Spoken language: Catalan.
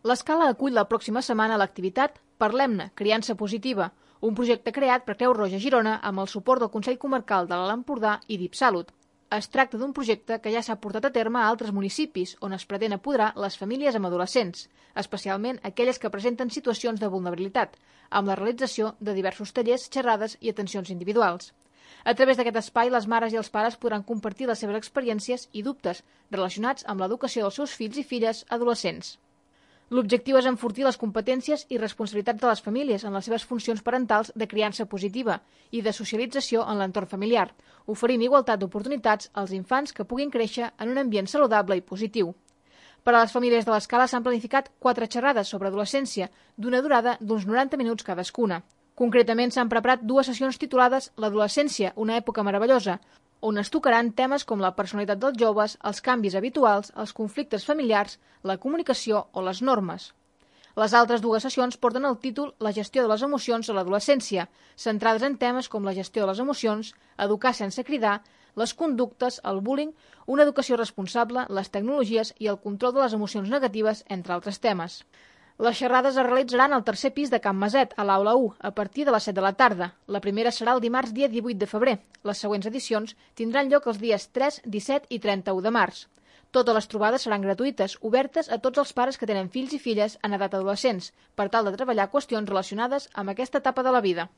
L'Escala acull la pròxima setmana l'activitat Parlem-ne, criança positiva, un projecte creat per Creu Roja Girona amb el suport del Consell Comarcal de l'Alt Empordà i DIPSalut. Es tracta d'un projecte que ja s'ha portat a terme a altres municipis on es pretén apoderar les famílies amb adolescents, especialment aquelles que presenten situacions de vulnerabilitat, amb la realització de diversos tallers, xerrades i atencions individuals. A través d'aquest espai, les mares i els pares podran compartir les seves experiències i dubtes relacionats amb l'educació dels seus fills i filles adolescents. L'objectiu és enfortir les competències i responsabilitats de les famílies en les seves funcions parentals de criança positiva i de socialització en l'entorn familiar, oferint igualtat d'oportunitats als infants que puguin créixer en un ambient saludable i positiu. Per a les famílies de l'Escala s'han planificat 4 xerrades sobre adolescència, d'una durada d'uns 90 minuts cadascuna. Concretament s'han preparat 2 sessions titulades L'adolescència, una època meravellosa, on es tocaran temes com la personalitat dels joves, els canvis habituals, els conflictes familiars, la comunicació o les normes. Les altres 2 sessions porten el títol La gestió de les emocions a l'adolescència, centrades en temes com la gestió de les emocions, educar sense cridar, les conductes, el bullying, una educació responsable, les tecnologies i el control de les emocions negatives, entre altres temes. Les xerrades es realitzaran al 3è pis de Can Maset, a l'Aula 1, a partir de les 7 de la tarda. La primera serà el dimarts dia 18 de febrer. Les següents edicions tindran lloc els dies 3, 17 i 31 de març. Totes les trobades seran gratuïtes, obertes a tots els pares que tenen fills i filles en edat adolescents, per tal de treballar qüestions relacionades amb aquesta etapa de la vida.